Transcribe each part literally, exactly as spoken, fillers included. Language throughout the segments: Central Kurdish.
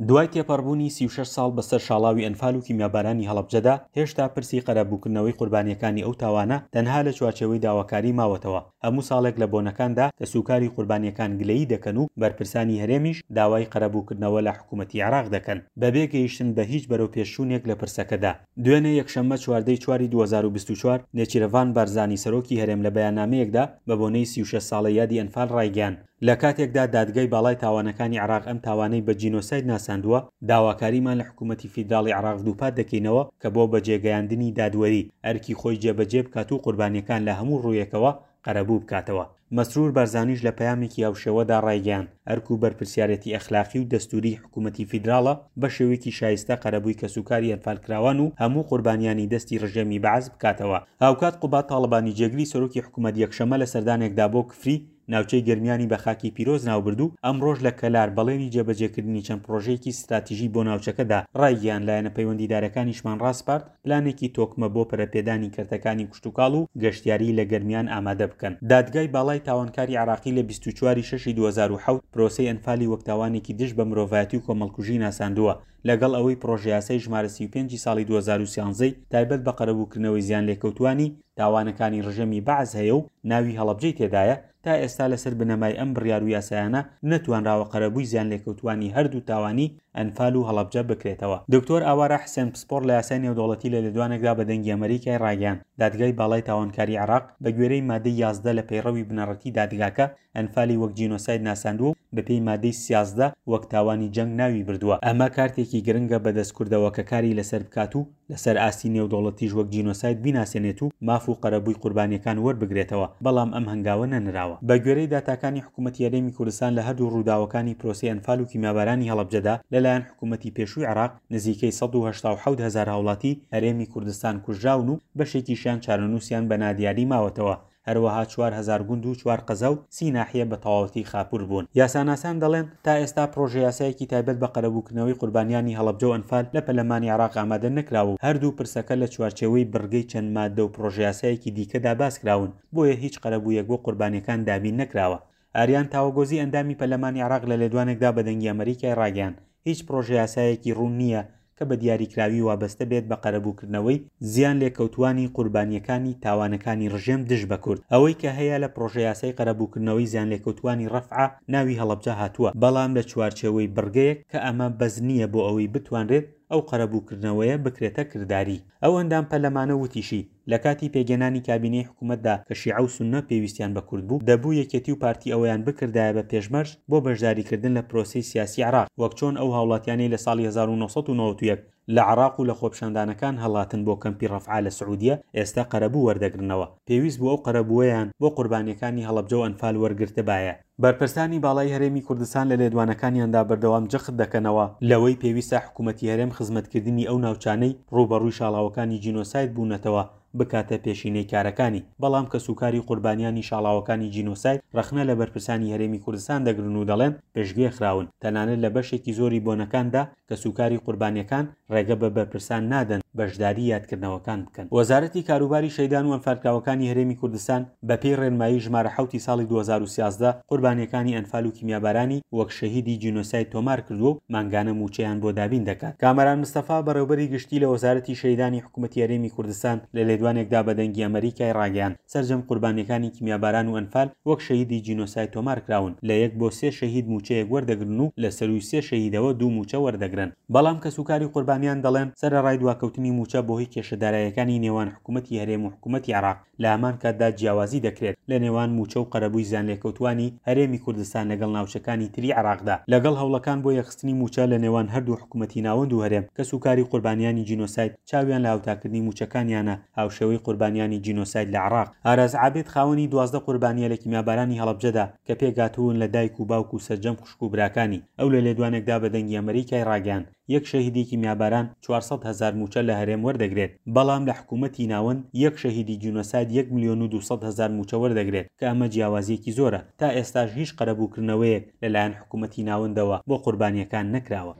دوای تێپەڕبوونی سی و شەش ساڵ بەسەر شاڵاوی ئەنفال و کیمیابارانی هەڵەبجەدا، هێشتا پرسی قەرەبووکردنەوەی قوربانیەکانی ئەو تاوانە تەنها لە چوارچێوەی داواکاری ماوەتەوە. هەموو ساڵێک لە بۆنەکاندا کەسوکاری قوربانیەکان گلەیی دەکەن و بەرپرسانی هەرێمیش داوای قەرەبووکردنەوە لە حکوومەتی عێراق دەکەن، بەبێ گەیشتن بە هیچ بەرەوپێشچوونێک لە پرسەکەدا. دوێنێ یەکشەممە چواردە ی چواری دوو هەزار و بیست و چوار، نێچیرڤان بارزانی سەرۆکی هەرێم لە بەیاننامەیەکدا بە بۆنەی سی و شەش ساڵە یادی ئەنفال ڕایگەیاند، لە کاتێکدا دادگای باڵای تاوانەکانی عێراق ئەم تاوانەی بە جینۆساید ناساندووە، داواکاریمان لە حکوومەتی فیدراڵی عێراق دووپات دەکەینەوە کە بۆ بەجێگەیاندنی دادوەری ئەرکی خۆی جێبەجێ بکات و قوربانیەکان لە هەموو ڕوویەکەوە قەرەبوو بکاتەوە. مەسرور بارزانیش لە پەیامێکی هاوشێوەدا ڕایگەیاند، ئەرک و بەرپرسیارێتی ئەخلاقی و دەستووریی حکوومەتی فیدراڵە بە شێوەیەکی شایستە قەرەبووی کەسوکاری ئەنفالکراوان و هەموو قوربانیانی دەستی ڕژێمی بەعس بکاتەوە. هاوکات قوباد تاڵەبانی جێگری سەرۆکی حکوومەت یەکشەممە لە سەردانێکدا بۆ کفری، ناوچەی گەرمیانی بە خاکی پیرۆز ناوبرد و ئەمڕۆش لە کەلار بەڵێنی جێبەجێکردنی چەند پڕۆژەیەکی ستراتیژی بۆ ناوچەکە دا. ڕایگەیاند، لایەنە پەیوەندیدارەکانیشمان ڕاسپارد پلانێکی تۆکمە بۆ پەرەپێدانی کەرتەکانی کشتوکاڵ و گەشتیاری لە گەرمیان ئامادە بکەن. دادگای باڵای تاوانکاری عێراقی لە بیست و چوار ی شەش ی دوو هەزار و حەوت پرۆسەی ئەنفالی وەک تاوانێکی دژ بە مرۆڤایەتی و کۆمەڵکوژی ناساندووە، لەگەڵ ئەوەی پڕۆژەیاسای ژمارە سی و پێنج ی ساڵی دوو هەزار و سیانزە ی تایبەت بە قەرەبووکردنەوەی زیانلێکەوتووانی تاوانەکانی ڕژێمی بەعس هەیە و ناوی هەڵەبجەی تێدایە، تا ئێستا لەسەر بنەمای ئەم بڕیار و یاسایانە نەتوانراوە قەرەبووی زیانلێکەوتووانی هەردوو تاوانی ئەنفال و هەڵەبجە بکرێتەوە. دکتۆر ئاوارە حسێن پسپۆڕ لە یاسای نێودەوڵەتی لە لێدوانێکدا بە دەنگی ئەمەریکای ڕاگەیاند، دادگای باڵای تاوانکاری عێراق بە گوێرەی مادەی یازدە لە پەیڕەوی بنەڕەتی دادگاکە ئەنفالی وەک جینۆساید ناساندووە و بەپێی مادەی سیازدە وەک تاوانی جەنگ ناوی بردووە. ئەمە کارتێکی گرنگە بەدەست کوردەوە کە کاری لەسەر بکات و لەسەر ئاستی نێودەوڵەتیش وەک جینۆساید بیناسێنێت و ماف و قەرەبووی قوربانیەکان وەربگرێتەوە، بەڵام ئەم هەنگاوە نەنراوە. بە گوێرەی داتاکانی حکوومەتی هەرێمی کوردستان لە هەردوو ڕووداوەکانی پرۆسەی ئەنفال و کیمیابارانی هەڵەبجەدا لەلایەن حکوومەتی پێشووی عێراق نزیکەی سەد و هەشتا و حەوت هەزار هاوڵاتی هەرێمی کوردستان کوژراون و بەشێکیشیان چارەنووسیان بە نادیاری ماوەتەوە. هەروەها چوار هەزار گوند و چوار قەزا و سی ناحیە بە تەواوەتی خاپوور بوون. یاساناسان دەڵێن، تا ئێستا پڕۆژەیاسایەکی تایبەت بە قەرەبووکردنەوەی قوربانیانی هەڵەبجە و ئەنفال لە پەرلەمانی عێراق ئامادە نەکراوە و هەردوو پرسەکە لە چوارچێوەی بڕگەی چەند ماددە و پڕۆژەیاسایەکی دیکەدا باسکراون، بۆیە هیچ قەرەبوویەک بۆ قوربانیەکان دابین نەکراوە. ئاریان تاوەگۆزی ئەندامی پەرلەمانی عێراق لە لێدوانێکدا بە دەنگی ئەمەریکای ڕاگەیاند، هیچ پڕۆژەیاسایەکی ڕوون نییە کە بە دیاریکراوی وابەستە بێت بە قەرەبووکردنەوەی زیانلێکەوتووانی قوربانییەکانی تاوانەکانی ڕژێم دژ بە کورد. ئەوەی کە هەیە لە پڕۆژەیاسای قەرەبووکردنەوەی زیانلێکەوتووانی ڕەفعە ناوی هەڵەبجە هاتووە، بەڵام لە چوارچێوەی بڕگەیەک کە ئەمە بەس نییە بۆ ئەوەی بتوانرێت ئەو قەرەبووکردنەوەیە بکرێتە کرداری. ئەو ئەندام پەرلەمانە وتیشی، لە کاتی پێکهێنانی کابینەی حکوومەتدا کە شیعە و سوننە پێویستیان بە کورد بوو، دەبوو یەکێتی و پارتی ئەوەیان بکردایە بە پێشمەرج بۆ بەشداریکردن لە پرۆسەی سیاسی عێراق، وەک چۆن ئەو هاوڵاتیانەی لە ساڵی هەزار و نۆ سەد و نەوەد و یەک لە عێراق و لە خۆپیشاندانەکان هەڵاتن بۆ کەمپی ڕەفعا لە سعودیە ئێستا قەرەبوو وەردەگرنەوە، پێویست بوو ئەو قەرەبووەیان بۆ قوربانیەکانی هەڵەبجە و ئەنفال وەرگرتبایە. بەرپرسانی باڵای هەرێمی کوردستان لە لێدوانەکانیاندا بەردەوام جەخت دەکەنەوە لەوەی پێویستە حکوومەتی هەرێم خزمەتکردنی ئەو ناوچانەی ڕووبەڕووی شاڵاوەکانی جینۆساید بوونەتەوە بکاتە پێشینەی کارەکانی، بەڵام کەسوکاری قوربانیانی شاڵاوەکانی جینۆساید ڕەخنە لە بەرپرسانی هەرێمی کوردستان دەگرن و دەڵێن پشتگوێ خراون، تەنانەت لە بەشێکی زۆری بۆنەکاندا کەسوکاری قوربانیەکان ڕێگە بە بەرپرسان نادەن بەشداری یادکردنەوەکان بکەن. وەزارەتی کاروباری شەهیدان و ئەنفالکراوەکانی هەرێمی کوردستان بەپێی ڕێنمایی ژمارە حەوتی ساڵی دوو هەزار و سیازدە قوربانیەکانی ئەنفال و کیمیابارانی وەک شەهیدی جینۆساید تۆمار کردووە و مانگانە مووچەیان بۆ دابین دەکات. کامەران مستەفا بەڕێوبەری گشتی لە وەزارەتی شەهیدانی حکوومەتی هەرێمی کوردستان لە لێدوانێکدا بە دەنگی ئەمەریکای ڕاگەیاند سەرجەم قوربانیەکانی کیمیاباران و ئەنفال وەک شەهیدی جینۆساید تۆمار کراون، لە یەک بۆ سێ شەهید مووچەیەک وەردەگرن و لە سەرووی سێ شەهیدەوە دوو مووچە وەردەگرن. بەڵام کەسوکاری قوربانیان دەڵێن سەرەڕای دواکەوتنی مووچە بۆهۆی کێشە داراییەکانی نێوان حکوومەتی هەرێم و حکوومەتی عێراق لە هەمان کاتدا جیاوازی دەکرێت لە نێوان مووچە و قەرەبووی زیانلێکەوتووانی هەرێمی کوردستان لەگەڵ ناوچەکانی تری عێراقدا. لەگەڵ هەوڵەکان بۆ یەکخستنی مووچە لە نێوان هەردوو حکوومەتی ناوەند و هەرێم، کەسوکاری قوربانیانی جینۆساید چاویان لە هاوتاکردنی مووچەکانیانە هاوشێوەی قوربانیانی جینۆساید لە عێراق. ئاراز عابد خاوەنی دوازدە قوربانییە لە کیمیابارانی هەڵەبجەدا کە پێکهاتوون لە دایک و باوک و سەرجەم خوشک و براکانی. ئەو لە لێدوانێکدا بە دەنگی ئەمەریکای ڕاگەیاند یەک شەهیدی کیمیاباران چوار سەد هەزار مووچە لە هەرێم وەردەگرێت، بەڵام لە حکوومەتی ناوەند یەک شەهیدی جینۆساید یەک ملیۆن و دوو سەد هەزار مووچە وەردەگرێت کە ئەمە جیاوازییەکی زۆرە، تا ئێستاش هیچ قەرەبووکردنەوەیەک لەلایەن حکوومەتی ناوەندەوە بۆ قوربانییەکان نەکراوە.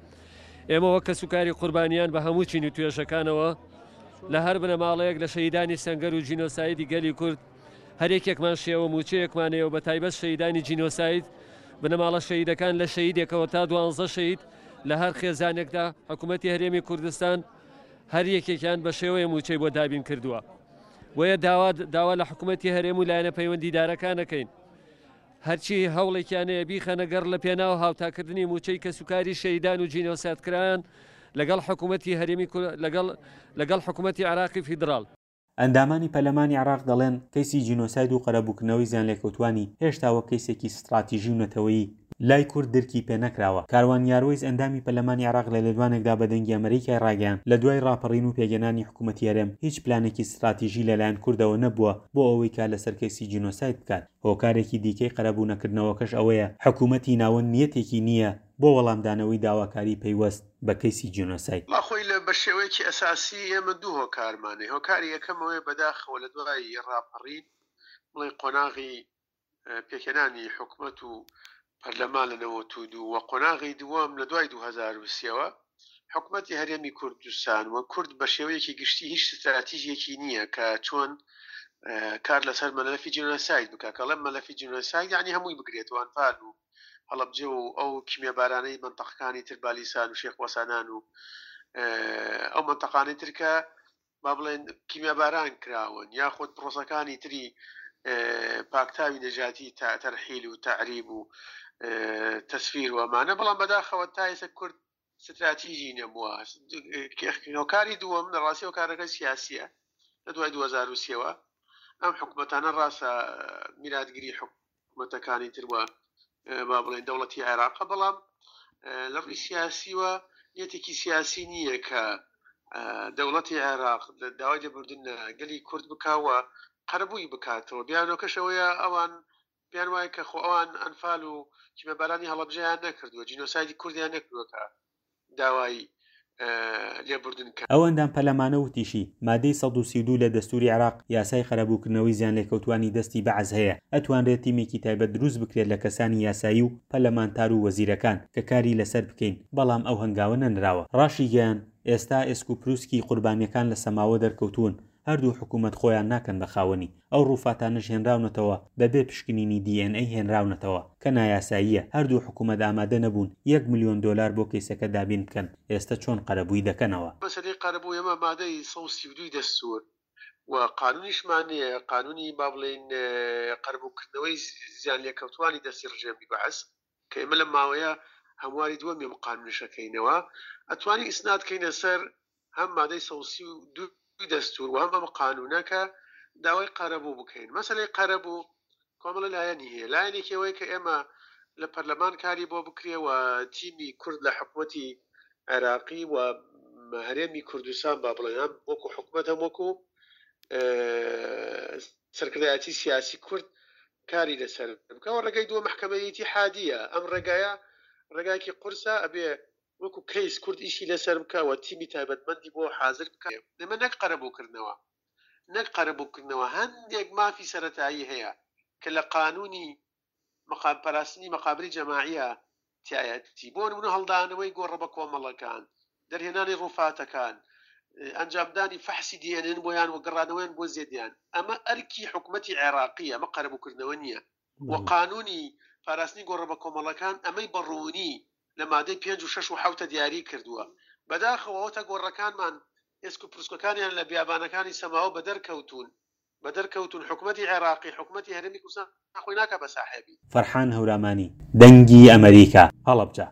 ئێمە وەک کەسوکاری قوربانیان بە هەموو چین و توێژەکانەوە لە هەر بنەماڵەیەک لە شەهیدانی سەنگەر و جینۆسایدی گەلی کورد هەر یەکێکمان شێوە مووچەیەکمان هەیە و بە تایبەت شەهیدانی جینۆساید بنەماڵە شەهیدەکان لە شەهیدێکەوە تا دوانزە شەهید لە هەر خێزانێکدا حکوومەتی هەرێمی کوردستان هەر یەکێکیان بە شێوەیە موچەی بۆ دابین کردووە. بۆیە داوا داوا لە حکوومەتی هەرێم و لایەنە پەیوەندیدارەکانەکەین هەرچی هەوڵێکیانەیە بیخەنە گەڕ لە پێناو هاوتاکردنی موچەی کەسوکاری شەهیدان و جینۆسایدکران لەگەڵ حکوومەتی هەرێمی لەگەڵ لەگەڵ حکوومەتی عێراقی فیدراڵ. ئەندامانی پەرلەمانی عێراق دەڵێن کەیسی جینۆساید و قەرەبووکردنەوەی زیانلێکەوتوانی هێشتا وەک کەیسێکی ستراتیژی و نەتەوەیی لای کورد درکی پێ نەکراوە. کاروان یاروەیس ئەندامی پەرلەمانی عێراق لە لێدوانێکدا بە دەنگی ئەمریکای ڕاگەیاند لە دوای ڕاپەڕین و پێگەنانی حکوومەتی هەرێم هیچ پلانێکی ستراتیژی لەلایەن کوردەوە نەبووە بۆ ئەوەی کار لەسەر کەیسی جینۆساید بکات. هۆکارێکی دیکەی قەرەبوو نەکردنەوەکەش ئەوەیە حکوومەتی ناوەند نیەتێکی نییە بۆ وەڵامدانەوەی داواکاری پەیوەست بە کەیسی جینۆساید. ما خۆی لە بە شێوەیەکی ئەساسی ئێمە دوو هۆکارمانەیە. هۆکاری یەکەمەوەی بەداخەوە لە دوای ڕاپەڕین بڵێ قۆناغی پێکهێنانی حکومەت و پەرلەمان لە نەوەت و دوو و قۆناغی دووەم لە دوای دوو هەزار و سێوە حکومەتی هەرێمی کوردستان و کورد بە شێوەیەکی گشتی هیچ ستراتیژیەکی نییە کە چۆن کار لەسەر مەلەفی جینۆساید بکە. کەڵێم مەلەفی جینۆساید یعنی هەمووی بگرێتەوە، ئەنفال و هەڵەبجە و ئەو کیمیابارانەی منطقەکانی تر بالیسان و شێخ وەسانان و ئەو منطقانەی تر کە با بڵێن کیمیاباران کراون یاخود پرۆسەکانی تری پاکتاوی نەژاتی تەرحیل و تەعریب و تەسفیر و ئەمانە. بەڵام بەداخەوە تا ئێستا کورد ستراتیژی نەبووە. هۆکاری دووەم لە ڕاستی هۆکارەکە سیاسیە. لە دوای دوو هەزار و سێوە ئەم حکوومەتانە ڕاستە میراتگری حکوومەتەکانی تر وە با بڵێن دەوڵەتی عێراقە، بەڵام لە ڕووی سیاسیوە نیەتێکی سیاسی نییە کە دەوڵەتی عێراق داوای لێبوردن گەلی کورد بکاوە قەرەبووی بکاتەوە. بیانۆکەش ئەوەیە ئەوان پێیان وایە کە خۆ ئەوان ئەنفال و کیمیابارانی هەڵەبجەیان نەکردووە، جینۆسایدی کوردیان نەکردووە کە داوای لێبوردن کە. ئەو ئەندام پەرلەمانە وتیشی مادەی سەد و سی و دوو لە دەستوری عێراق یاسای قەرەبووکردنەوەی زیانلێکەوتوانی دەستی بەعس هەیە، ئەتوانرێت تیمێکی تایبەت دروست بکرێت لە کەسانی یاسایی و پەرلەمانتار و وەزیرەکان کە کاری لەسەر بکەین، بەڵام ئەو هەنگاوە نەنراوە. ڕاشیگەیان ئێستا ئێسک و پروسکی قوربانیەکان لە سەماوە دەرکەوتون، هەردوو حکوومەت خۆیان ناکەن بە خاوەنی. ئەو ڕووفاتانەش هێنراونەتەوە بەبێ پشکنینی دی ئێن ئەی هێنراونەتەوە کە نایاساییە. هەردوو حکوومەت ئامادە نەبوون یەک ملیۆن دۆلار بۆ کەیسەکە دابین بکەن، ئێستا چۆن قەرەبووی دەکەنەوە؟ مەسەلەی قەرەبوو ئێمە مادەی سەد و سی و دووی دەستور و قانونیشمان نییە، قانونی با بڵێین قەرەبووکردنەوەی زیانلێکەوتوانی دەستی ڕژێمی بەعس کە ئێمە لە ماوەیە هەمواری دووەمی ئەم قانونیشەکەینەوە ئەتوانی ئیسناد کەینە سەر هەم مادەی سەد و سی و دوو دەستور و هەم ئەم قانونە کە داوای قەرەبوو بکەین. مەسەلەی قەرەبوو کۆمەڵە لایەنی هەیە. لایەنێکی ئەوەیە کە ئێمە لە پەرلەمان کاری بۆ بکرێ و تیمی کورد لە حکوومەتی عێراقی و هەرێمی کوردستان با بڵێن هەم وەکو حکوومەت هەم وەکو سەرکردایەتی سیاسی کورد کاری لەسەر بکەوە. ڕێگەی دووە مەحکەمەی ئیتیحادیە. ئەم ڕێگایە ڕێگایەکی قورسە، ئەبێ وەکو کەیس کورد ئیشی لەسەر بکەوە، تیمی تایبەتمەندی بۆ حاضر بکە. ئێمە نەک قەرەبووکردنەوە نەک قەرەبووکردنەوە هەندێک مافی سەرەتایی هەیە کە لە قانونی پاراستنی مەقابری جەماعیە تایەتی، بۆ نمونە هەڵدانەوەی گۆڕە بە کۆمەڵەکان، دەرهێنانی ڕووفاتەکان، ئەنجامدانی فەحسی دی ئێن ئێن بۆیان و گەڕانەوەیان بۆ زێدیان. ئەمە ئەرکی حکوومەتی عێراقیە، ئەمە قەرەبووکردنەوە نییە. و قانونی پاراستنی گۆڕە بە کۆمەڵەکان ئەمەی بەڕوونی لە مادەی پێنج و شەش و حەوتە دیاری کردووە. بەداخەوە ئەوە تا گۆڕەکانمان ئێسک و پرسکەکانیان لە بیابانەکانی سەماوە بەدەرکەوتون بەدەرکەوتون. حکوومەتی عێراقی حکوومەتی هەرێمی کوردستان خۆی ناکا بە ساحێبی. فەرحان هەورامانی، دەنگی ئەمریکا، هەڵەبجە.